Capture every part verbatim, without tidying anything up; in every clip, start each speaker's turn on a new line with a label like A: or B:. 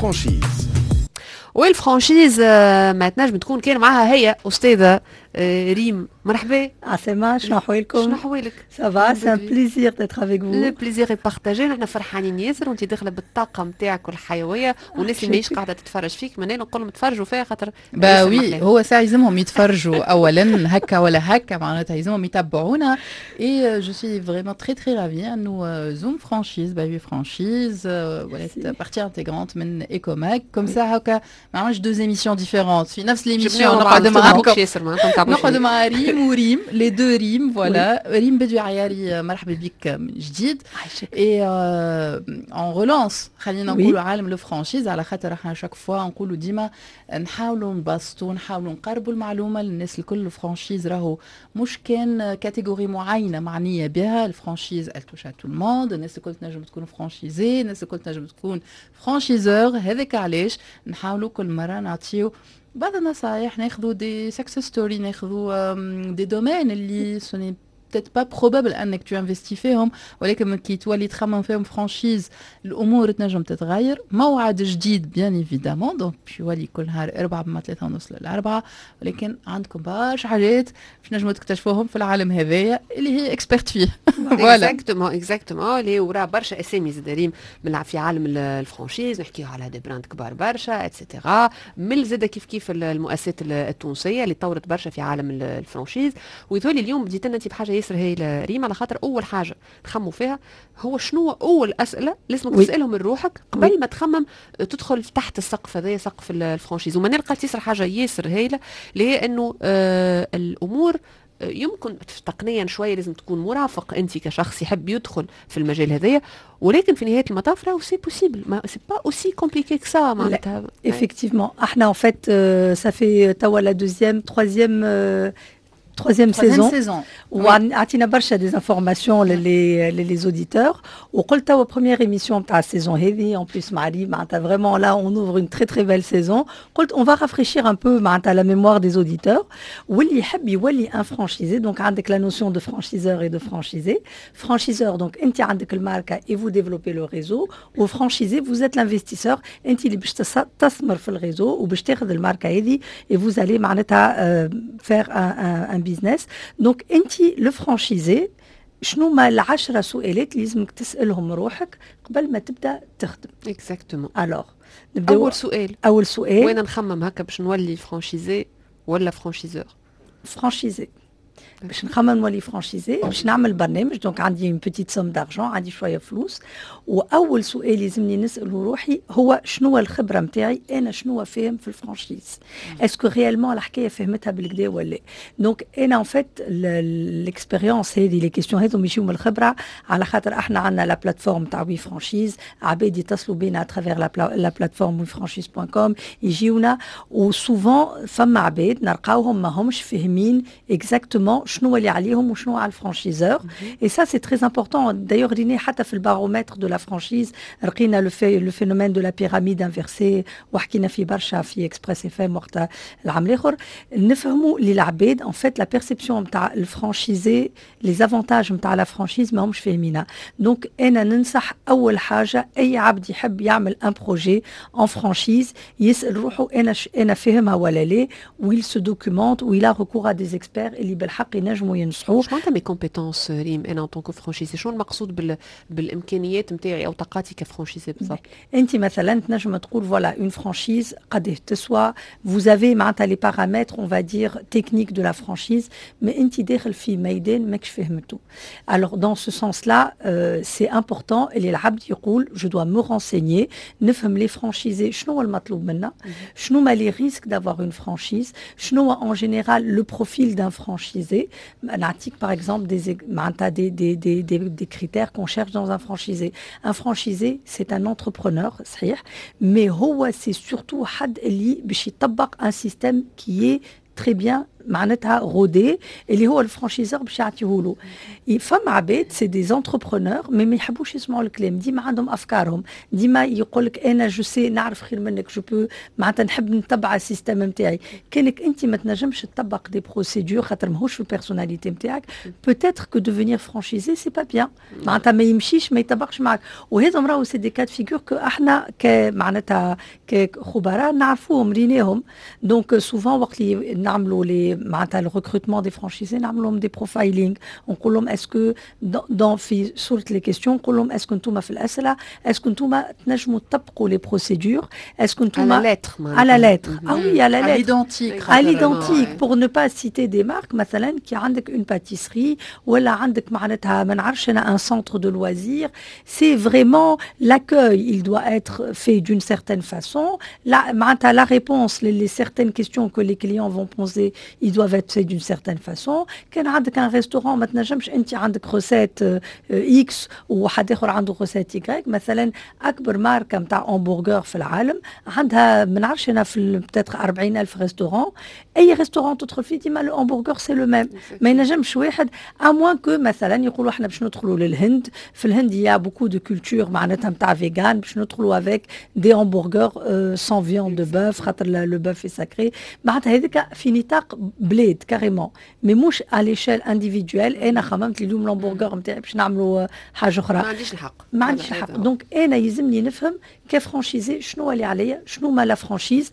A: franchise.
B: وال franchise آه، ما تنجم تكون كان معها هي استاذه آه، ريم، مرحبا.
C: عسلامة، شنو أحوالكم؟
B: شنو أحوالك؟
C: Ça va, c'est un plaisir d'être avec vous.
B: le plaisir est partagé. نحن فرحانين ياسر وانت داخله بالطاقة نتاعك والحيويه، والناس اللي ماهيش قاعدة تتفرج فيك معناها نقول لهم تفرجوا فيها خاطر
D: bah oui، هو ساعة يلزمهم يتفرجوا اولا، هكا ولا هكا، معناتها يلزمهم يتبعونا. et je suis vraiment très très ravie انه Zoom Franchise by We Franchise ولات partie intégrante من Ecomag، comme ça هكا ما عملش deux émissions différentes في نفس l'émission. نقعد معاكم، نقعد مع ريم وريم، les deux ريم، voilà. ريم بدوي عياري، مرحبا بك من جديد. et on relance، خلينا نقولوا، عالم la franchise، على خاطر احنا chaque fois نقولوا ديما نحاولوا نبسطوا، نحاولوا نقربوا المعلومة للناس الكل. ال franchise راهو مش كان catégorie معينة معنية بها، ال franchise elle touche à tout le monde. الناس الكل تنجم تكون franchisé، الناس الكل تنجم تكون franchiseur. هذاك علاش نحاولوا كل مرة نعطيو بعض النصائح، ناخذوا des success stories، ناخذوا des domaines اللي ce n'est peut-être pas probable انك tu investis فيهم، ولكن كي تولي تخمم فيهم franchise الامور تنجم تتغير. موعد جديد bien évidemment، donc باش يولي كل نهار اربعة من ثلاثة ونص للأربعة، ولكن عندكم برشا حاجات باش نجموا تكتشفوهم في العالم هذايا اللي هي experte فيه.
B: voilà، exactement exactement، اللي وراه برشا اسامي زاد ريم من في عالم ال franchise، نحكيو على des brands كبار برشا et cetera، من زاد كيف كيف المؤسسات التونسية اللي طورت برشا في عالم ال franchise. ويظهر اليوم بديت لنا انت بحاجة ياسر هايلة ريم، على خاطر اول حاجة نخموا فيها هو شنو اول اسئلة لازمك تسالهم من روحك قبل ما تخمم تدخل تحت السقف هذايا، سقف ال franchise. وما نلقى ياسر حاجة ياسر هايلة اللي هي انه آه الامور يمكن تقنيا شوية لازم تكون مرافق انت كشخص يحب يدخل في المجال هذايا، ولكن في نهاية المطاف راهو c'est possible، ما c'est pas aussi compliqué que ça معناتها.
C: effectivement، احنا en fait ça fait توا la deuxième troisième troisième saison.
D: saison.
C: وعطينا برشا des informations les les auditeurs. وقلت توا première émission تاع ال saison هذه، en plus مع ريم، معناتها vraiment là on ouvre une très très belle saison. قلت on va rafraîchir un peu معناتها la mémoire des auditeurs واللي يحب يولي un franchisé. donc عندك la notion de franchiseur et de franchisé. franchiseur donc انت عندك الماركة et vous développez le réseau، و franchisé vous êtes l'investisseur، انت اللي باش تستثمر في ال réseau وباش تاخذ الماركة هذه et vous allez معناتها faire un, un, un business. donc انت le franchisé، شنو ما العشرة سؤالات اللي لازمك تسالهم روحك قبل ما تبدا تخدم؟
B: exactement.
C: alors
B: نبداو اول سؤال.
C: اول سؤال.
B: وين نخمم هكا باش نولي franchisé ولا franchiseur؟
C: franchisé، باش نخمم نولي franchisé، باش نعمل برنامج، donc عندي une petite somme d'argent، عندي شوية فلوس، واول سؤال يلزمني نساله روحي هو شنو الخبرة نتاعي انا، شنو فاهم في ال franchise، est-ce que réellement الحكاية فهمتها بالكدا ولا. donc انا en fait l'expérience هذه، les questions هذو يجيو من الخبره، على خاطر احنا عندنا la plateforme تاع We Franchise، عباد يتصلوا بينا à travers la plateforme wefranchise point com، يجيونا، و souvent فما عباد نلقاوهم ما همش فاهمين exactement شنو اللي عليهم وشنو على ال franchiseur. et ça c'est très important. d'ailleurs رينا حتى في ال baromètre de la franchise لقينا le le phénomène de la pyramide inversée، وحكينا في برشا في Express FM وقت العام الاخر. نفهموا اللي العباد en fait la perception نتاع ال franchisé، les avantages نتاع la franchise ما همش فاهمينها. donc انا ننصح اول حاجة اي عبد يحب يعمل un projet en franchise يسال روحه انا انا فاهمها ولا لا، و il se documente و il a recours à des experts اللي بالحق ينجموا ينصحوه.
B: شو معناتها mes compétences ريم انا en tant que franchisé؟ شنو المقصود بال... بالامكانيات نتاعي او طاقاتي ك franchisé بالضبط؟
C: انت مثلا تنجم تقول voilà، une franchise قد تسوى، vous avez معناتها les paramètres on va dire techniques de la franchise، mais انت داخل في ميدان ماكش فهمته. alors dans ce sens-là c'est important اللي العبد يقول je dois me renseigner، نفهم les franchisés شنو هو المطلوب منا، شنو ما les risques d'avoir une franchise، شنو هو en général le profil d'un franchisé. نعطيك par exemple des معناتها des des des des, des critères qu'on cherche dans un franchisé. un franchisé c'est un entrepreneur صحيح، mais هو c'est surtout حد اللي باش يطبق un système qui est très bien معناتها rodé اللي هو ال franchiseur باش يعطيه له. فما عباد c'est des entrepreneurs mais ما يحبوش يسمعوا الكلام، ديما عندهم افكارهم، ديما يقول لك انا je sais، نعرف خير منك، je peux، معناتها نحب نتبع ال système نتاعي. كانك انت ما تنجمش تطبق des procédures خاطر ماهوش في ال personnalité نتاعك، peut-être que devenir franchisé c'est pas bien، معناتها ما يمشيش، ما يطبقش معك. وهذم راهو c'est des cas de figure que احنا معناتها كخبراء نعرفوهم، ريناهم. donc souvent وقت اللي نعملوا les معناتها ال recrutement des franchisés، نعملوا لهم des profiling، نقول لهم est-ce que dans في صوره les questions، نقول لهم est-ce que انتم في الاسئله، est-ce que انتم تنجموا تطبقوا les procédures، est-ce que انتم
B: à la lettre؟
C: à la lettre، ah oui، à la
D: lettre، l'identique.
C: à l'identique. pour ne pas citer des marques، مثلا كي عندك une pâtisserie ولا عندك معناتها ما نعرفش انا un centre de loisirs، c'est vraiment l'accueil، il doit être fait d'une certaine façon، la معناتها la réponse les, les certaines questions que les clients vont poser، ils doivent être faits d'une certaine façon. كان عندك un restaurant، ما تنجمش انت عندك recette X وحد اخر عنده recette Y. مثلا اكبر ماركة نتاع همبرجر في العالم عندها ما نعرفش انا في peut-être أربعين الف restaurant، اي restaurant تدخل فيه ديما le hamburger c'est le même. ما ينجمش واحد، à moins que مثلا يقولوا احنا باش ندخلوا للهند، في الهند il y a beaucoup de culture معناتها نتاع vegan، باش ندخلوا avec des hamburgers sans viande de bœuf خاطر le bœuf est sacré. معناتها هذيك في نطاق بلاد carrément، mais مش à l'échelle individuelle. انا خممت اليوم الهامبرجر نتاعي باش نعملوا حاجة اخرى.
B: ما عنديش الحق.
C: ما عنديش الحق. donc انا يلزمني نفهم ك franchisé شنو اللي عليا، شنو ما la franchise،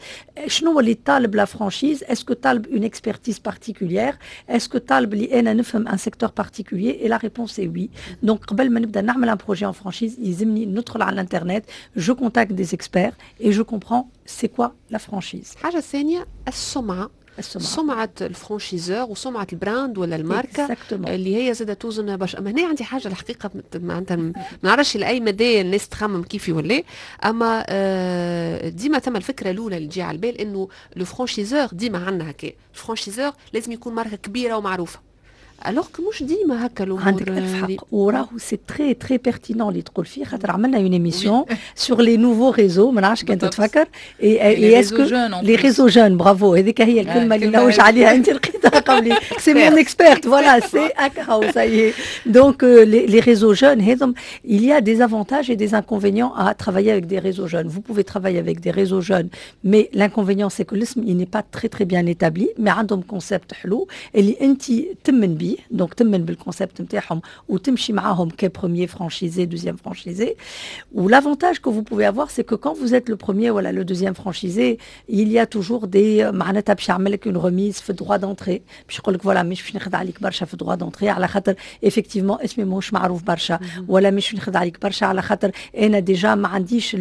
C: شنو اللي طالب la franchise، est-ce que طالب une expertise particulière، est-ce que طالب اللي انا نفهم un secteur particulier؟ et la réponse est oui. donc قبل ما نبدا نعمل un projet en franchise، يلزمني ندخل على الانترنت، je contacte des experts et je comprends c'est quoi la franchise.
B: الحاجة الثانية السمعه.
C: السمعة.
B: سمعة ال franchiseur وسمعة ال brand ولا الماركة
C: Exactement.
B: اللي هي زادة توزن برشا. اما هنا عندي حاجة الحقيقة، معناتها ما نعرفش لأي مدى الناس تخمم كيفي ولا، اما آه، ديما ثم الفكرة الأولى اللي تجي على البال انه le franchiseur، ديما عندنا هكا، ال franchiseur لازم يكون ماركة كبيرة ومعروفة، alors que مش ديما هكا الامور.
C: عندك الف حق، وراهو c'est très très pertinent اللي تقول فيه، خاطر عملنا une émission sur les nouveaux réseaux، ما نعرفش كان تتفكر. et est-ce que les réseaux jeunes، bravo، هذيك هي الكلمة اللي نلوج عليها، انت لقيتها قبلي، c'est mon experte، voilà، c'est هكا، ça y est. donc les réseaux jeunes هذم، il y a des avantages et des inconvénients à travailler avec des réseaux jeunes. Vous pouvez travailler avec des réseaux jeunes, mais l'inconvénient c'est que الاسم il n'est pas très très bien établi، mais عندهم concept حلو اللي انت تمن بيه، donc تمن بال concept نتاعهم وتمشي معاهم ك premier franchisé، deuxième franchisé. و l'avantage que vous pouvez avoir، c'est que quand vous êtes le premier ولا le deuxième franchisé، il y a toujours des معناتها باش يعمل لك une remise في droit d'entrée، باش يقول لك voilà، مش باش ناخذ عليك برشا في droit d'entrée على خاطر effectivement اسمي ماهوش معروف برشا، ولا مش ناخذ عليك برشا على خاطر انا déjà ما عنديش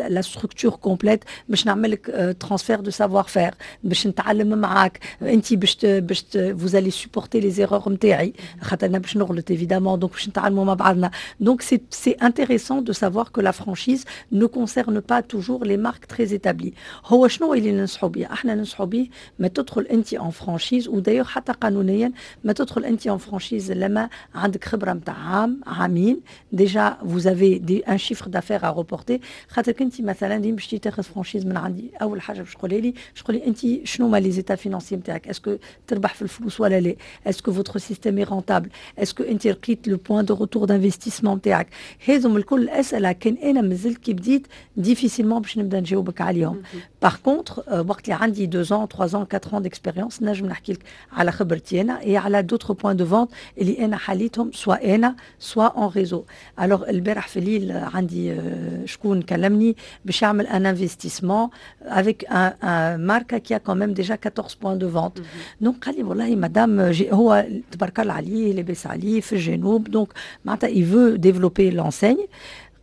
C: la structure complète باش نعمل لك transfert de savoir-faire، باش نتعلم معاك انت، باش باش vous allez supporter les erreurs نتاعي خاطر انا باش نغلط évidemment، donc باش نتعلموا مع بعضنا. donc c'est c'est intéressant de savoir que la franchise ne concerne pas toujours les marques très établies. هو شنو اللي ننصحوا به؟ احنا ننصحوا به ما تدخل انت en franchise، و d'ailleurs حتى قانونيا ما تدخل انت en franchise لما عندك خبره نتاع عام عامين، déjà vous avez des un chiffre d'affaires à reporter. خاطر انت مثلا ديما باش تاخذ franchise من عندي، اول حاجة باش تقولي لي تقولي انت شنو ما les états financiers نتاعك، est-ce que تربح في الفلوس ولا لا، est-ce que votre système est rentable، est-ce que انت لقيت le point de retour d'investissement نتاعك. هذم الكل اسئلة كان انا مازلت كي بديت difficilement باش نبدا نجاوبك عليهم. par contre وقت اللي عندي deux ans، trois ans، quatre ans d'expérience، نجم نحكي لك على خبرتي انا et على d'autres points de vente اللي انا حليتهم، soit انا soit en réseau. alors البارح في الليل عندي شكون كلمني باش يعمل un investissement avec un marque qui a quand même déjà quatorze points de vente. donc قال لي والله مدام، هو تبارك الله عليه، لاباس عليه، في الجنوب، donc معناتها il veut développer l'enseigne.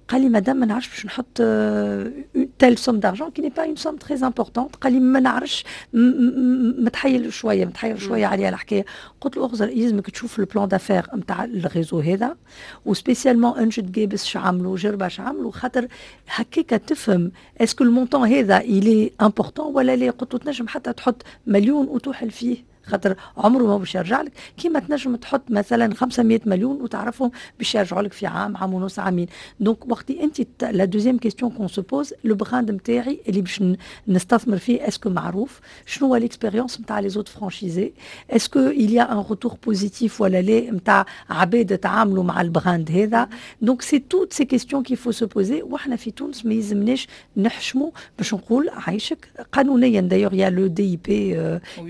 C: قال لي مدام، ما نعرفش باش نحط telle somme d'argent qui n'est pas une somme très importante. قال لي ما نعرفش، متحيل شويه، متحيل شوية عليها الحكايه. قلت له اغزر، يلزمك تشوف ال plan d'affaires نتاع ال réseau هذا، و spécialement انجد قابس اش عملوا، جربه اش عملوا، خاطر هكاك تفهم est-ce que ال montant هذا il est important ولا لا. قلت له تنجم حتى تحط مليون وتوحل فيه خاطر عمره ما باش يرجع لك. كيما تنجم تحط مثلا خمسمية مليون وتعرفهم باش يرجعوا لك في عام، عام ونص، عامين. donc وقت انت la deuxième question qu'on se pose: le brand نتاعي اللي باش نستثمر فيه، est-ce que معروف؟ شنو هو l'expérience نتاع les autres franchisés؟ est-ce que il y a un retour positif ولا لا نتاع عباد تعاملوا مع ال brand هذا؟ donc c'est toutes ces questions qu'il faut se poser. وحنا في تونس ما يلزمناش نحشموا باش نقول عايشك. قانونيا d'ailleurs il y a le DIP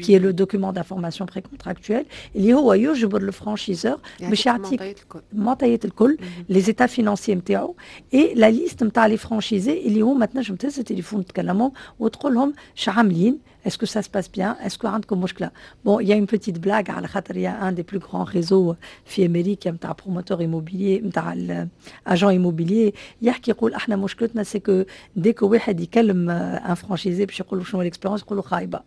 C: qui est le document d'information précontractuelle، اللي هو يجبر le franchiseur باش يعطيك المعطيات الكل، les états financiers نتاعو et la liste نتاع les franchisés، اللي هما تنجم تهز التليفون تكلمهم وتقول لهم شعاملين، est-ce que ça se passe bien؟ est-ce que عندكم مشكله؟ bon، il y a une petite blague على خاطر il y a un des plus grands réseaux في امريكا نتاع promoteurs immobiliers، نتاع agents immobiliers، يحكي يقول احنا مشكلتنا c'est que dès que واحد يكلم un franchisé باش يقول له شنو l'expérience، يقول له خايبه.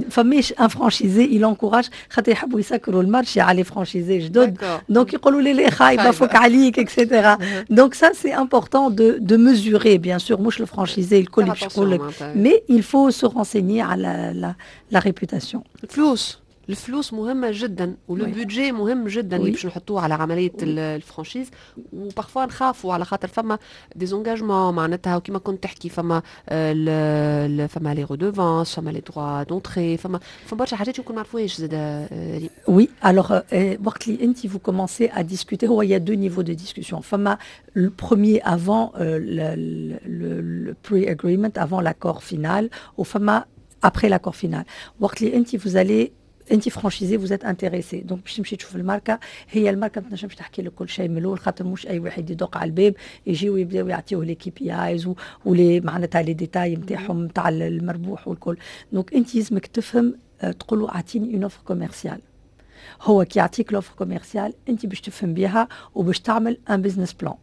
C: فماش un franchisé il encourage، خاطر يحبوا يسكروا ال marché على les franchisés جدد، donc يقولوا لي لي خايبه، فوك عليك، et cetera. donc ça c'est important de de mesurer bien sûr. مش ال franchisé الكل باش يقول لك، mais il faut se renseigner على la, la réputation.
B: الفلوس، الفلوس مهمة جدا و le budget مهم جدا اللي باش نحطوه على عملية ال franchise. و parfois نخافوا على خاطر فما des engagements معناتها، وكما كنت تحكي فما فما les redevances، فما les droits d'entrée، فما فما برشا حاجات يمكن ما نعرفوهاش زاد.
C: oui، alors وقت اللي انت vous commencez à discuter، هو il y a deux niveaux de discussion. فما le premier avant euh, le, le, le pre-agreement، avant l'accord final، وفما après l'accord final. وقت اللي انت vous allez، انت franchisé، vous êtes intéressé، donc باش تمشي تشوف الماركه. هي الماركة ما تنجمش تحكي لك كل شيء من الاول، خاطر مش اي واحد يدق على الباب يجي ويبداو يعطيوه les KPIs و les معناتها les détails نتاعهم نتاع المربوح والكل. donc انت لازمك تفهم، تقول له اعطيني une offre commerciale. هو كي يعطيك l'offre commerciale، انت باش تفهم بها وباش تعمل un business plan.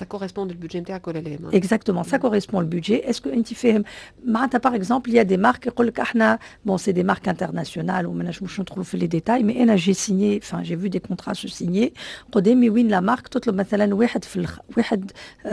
B: Ça correspond au budget نتاعك ولا لا؟
C: Exactement, ça correspond au budget. Est-ce que انت فاهم معناتها؟ par exemple، il y a des marques يقول لك احنا، bon، c'est des marques internationales وما نجموش ندخلوا في les détails، mais انا j'ai signé، enfin j'ai vu des contrats se signer قدامي وين la marque تطلب مثلا واحد في الخ... واحد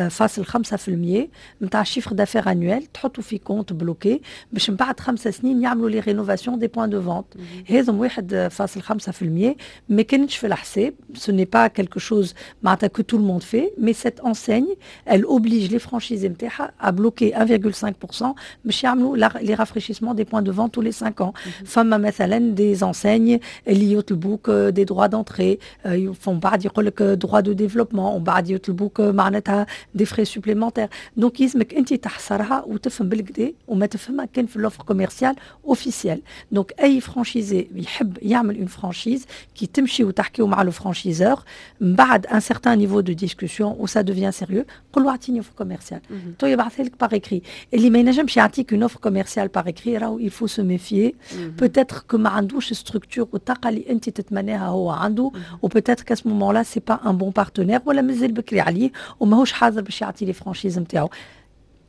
C: فاصل خمسة في المية نتاع ال chiffre d'affaires annuel تحطوا في compte bloqué باش من بعد خمسة سنين يعملوا les rénovations des points de vente. هذم واحد فاصل خمسة في المية ما كانتش في الحساب، ce n'est pas quelque chose معناتها que tout le monde fait، mais cette enseigne، elle oblige les franchisés نتاعها à bloquer un virgule cinq pour cent باش يعملوا les rafraîchissements des points de vente tous les cinq ans. فما مثلا des enseignes اللي يطلبوك des droits d'entrée، ومن بعد يقول لك droit de développement، ومن بعد يطلبوك معناتها des frais supplémentaires. donc يلزمك انت تحصرها وتفهم بالقدا، وما تفهمها كان في l'offre commerciale officielle. donc اي franchisé يحب يعمل une franchise، كي تمشي وتحكيو مع le franchiseur، من بعد un certain niveau de discussion où ça devient sérieux، قول له اعطيني offre commerciale، تو يبعثها لك par écrit. اللي ما ينجمش يعطيك une offre commerciale par écrit، راهو il faut se méfier. peut-être que ما عندوش structure والطاقة اللي انت تتمناها هو عنده، و peut-être qu'à ce moment-là c'est pas un bon partenaire، ولا مازال بكري عليه وماهوش حاضر باش يعطي les franchises نتاعو.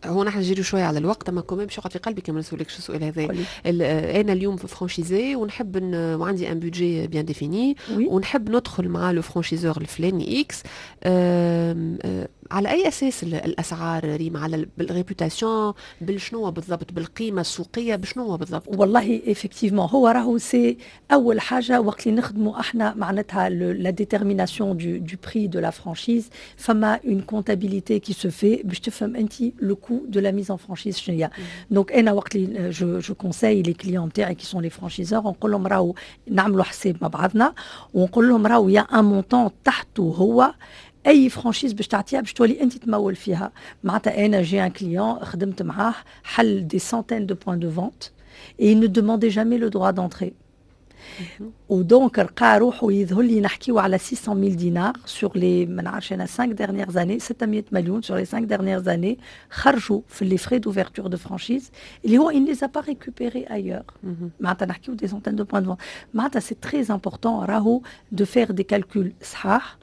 B: هو نحن نجري شوية على الوقت، اما quand même باش يقعد في قلبي كما نسولكش السؤال هذا. انا اليوم في franchisé ونحب ن... وعندي un budget bien défini ونحب ندخل مع le franchiseur الفلاني X، على اي اساس الاسعار ريم؟ على بال réputation؟ بالشنو بالضبط؟ بالقيمة السوقيه؟ بشنو بالضبط؟
C: والله effectivement هو راهو c'est اول حاجة وقت اللي نخدموا احنا معناتها la détermination du du prix de la franchise، فما une comptabilité qui se fait باش تفهم انت le coût de la mise en franchise شنو هي. donc انا وقت اللي je je conseille les clients تاعي qui sont les franchiseurs، نقول لهم راهو نعملوا حساب مع بعضنا، ونقول لهم راهو il y a un montant تحته هو اي franchise باش تعطيها باش تولي انت تمول فيها. معناتها انا j'ai un client خدمت معاه، حل des centaines de points de vente et il ne demandait jamais le droit d'entrée، و donc لقى روحه، يظهر لي نحكيو على ستمية ألف دينار sur les ما نعرفش انا cinq dernières années، ستمية مليون sur les cinq dernières années خرجوا في les frais d'ouverture de franchise اللي هو il ne les a pas récupérés ailleurs. معناتها نحكيو des centaines de points de vente. معناتها c'est très important راهو de faire des calculs صحاح.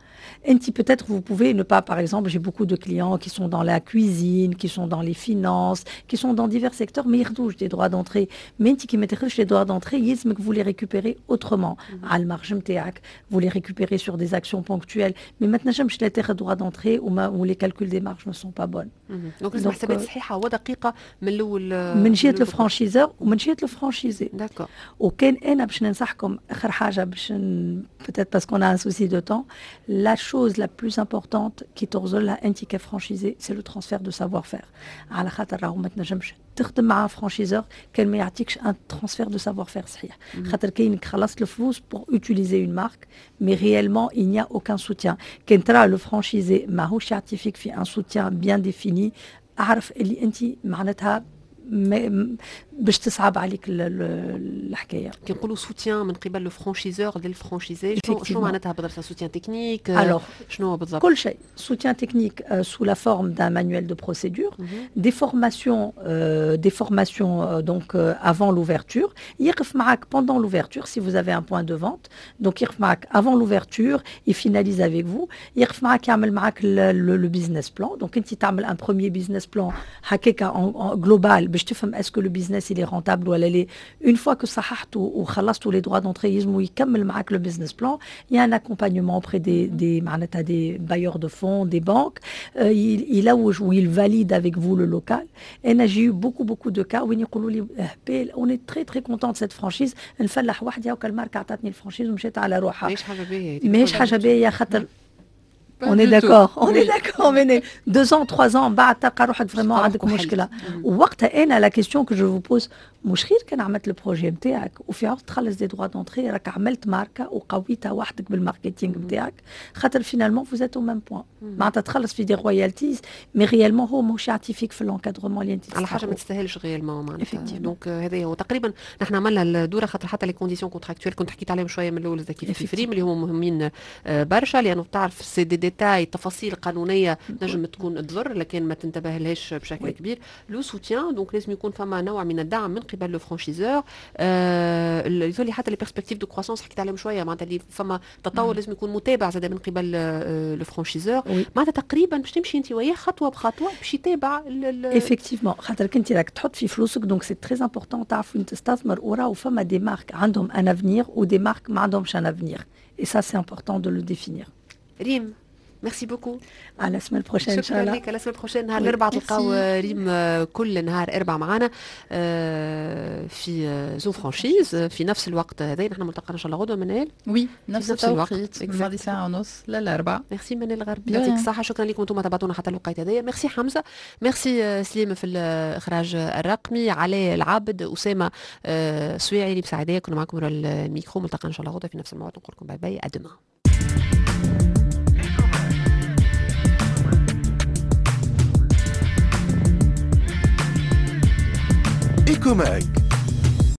C: انت peut-être vous pouvez ne pas, par exemple, j'ai beaucoup de clients qui sont dans la cuisine, qui sont dans les finances, qui sont dans divers secteurs, mais ياخذوش des droits d'entrée. Mais انت كي ما تاخذش les droits d'entrée يلزمك vous les récupérez autrement على ال marge نتاعك, vous les récupérez sur des actions ponctuelles, mais ما تنجمش لا تاخذ droit d'entrée ou les calculs des marges ne sont pas bonnes.
B: donc لازم حسابات صحيحه ودقيقة من الاول
C: من جهة ال franchiseur ومن جهة ال franchisé.
B: d'accord.
C: وكان انا باش ننصحكم اخر حاجة باش peut-être parce qu'on a un souci de temps, la chose la plus importante qui تغزلها انت ك franchisé c'est le transfert de savoir-faire. على خاطر راهو ما تنجمش تخدم مع franchiseur كان ما يعطيكش un transfert de savoir-faire صحيح، خاطر كاينك خلصت الفلوس pour utiliser une marque mais réellement il n'y a aucun soutien. كان ترى le franchisé ماهوش يعطي فيك في un soutien bien défini، اعرف اللي انت معناتها باش تصعب عليك الحكاية.
B: كي نقولوا سوتيان من قبل le franchiseur لل franchisé، شنو شنو معناتها بالضبط؟ soutien technique؟
C: alors
B: شنو بالضبط؟
C: كل شيء. soutien technique sous la forme d'un manuel de procédure, des formations, euh, des formations euh, donc euh, avant l'ouverture. يقف معاك pendant l'ouverture si vous avez un point de vente. Donc يقف معاك avant l'ouverture, il finalise avec vous. يقف معاك يعمل معاك le, le business plan. Donc انت تعمل un premier business plan هكاكا global باش تفهم est-ce que le business il est rentable ولا لا. Une fois que صححتوا وخلصتوا les droits d'entrée يلزموا يكمل معاك le business plan. Il y a un accompagnement auprès des des معناتها des bailleurs de fonds, des banques. Euh, il يلوج ou il valide avec vous le local. انا j'ai eu beaucoup beaucoup de cas وين يقولوا لي on est très très content de cette franchise، نفلح وحدي وكل ماركة عطاتني ال franchise ومشيت على روحها.
B: ماهيش حاجة باهيه.
C: ماهيش حاجة باهيه خاطر On est d'accord, on est d'accord, mais deux ans, trois ans, بعد تلقى روحك vraiment عندك مشكلة. ووقتها أنا la question que je vous pose، مش خير كان عملت ال projet نتاعك وفي عوض تخلص des droits d'entrée راك عملت ماركة وقويتها وحدك بال marketing نتاعك، خاطر finalement vous êtes au même point. معناتها تخلص في des royalties mais réellement هو ماهوش يعطي فيك في l'encadrement اللي انت
B: على حاجة ما تستاهلش réellement معناتها. donc هذا هو تقريبا نحن عملنا الدورة، خاطر حتى les conditions contractuelles كنت حكيت عليهم شوية من الاول كيف كيف ريم اللي هما مهمين برشا، لانه تعرف c'est des détails تفاصيل قانونية نجم تكون تضر لكن ما تنتبه لهاش بشكل كبير. le soutien donc لازم يكون فما نوع من الدعم من قبل le franchiseur. يظهر حتى les perspectives de croissance حكيت عليهم شوية، معناتها اللي فما تطور لازم يكون متابع زاد من قبل le franchiseur، معناتها تقريبا باش تمشي انت وياه خطوة بخطوة باش يتابع.
C: effectivement خاطر كنت راك تحط في فلوسك، donc c'est très important تعرف وين تستثمر، وراهو فما des marques عندهم un avenir و des marques ما عندهمش un avenir، et ça c'est important de le définir.
B: ريم merci beaucoup.
C: على la semaine prochaine ان شاء الله.
B: شكرا لك. على la semaine prochaine نهار الاربعاء تلقاو ريم كل نهار اربعاء معنا في Zoom Franchise في نفس الوقت هذا. نحن ملتقانا ان شاء الله غدوه منال.
D: oui نفس التوقيت ماضي ساعة ونص للاربعاء.
B: ميرسي منال الغربي، يعطيك الصحة. شكرا لكم انتم تابعتونا حتى الوقت هذايا. ميرسي حمزة، ميرسي سليم في الاخراج الرقمي، علاء العابد، اسامة سويعي اللي مساعديه. كنا معكم ورا الميكرو. ملتقانا ان شاء الله غدوه في نفس الموعد. نقول لكم bye bye، à demain.
A: Ecomag.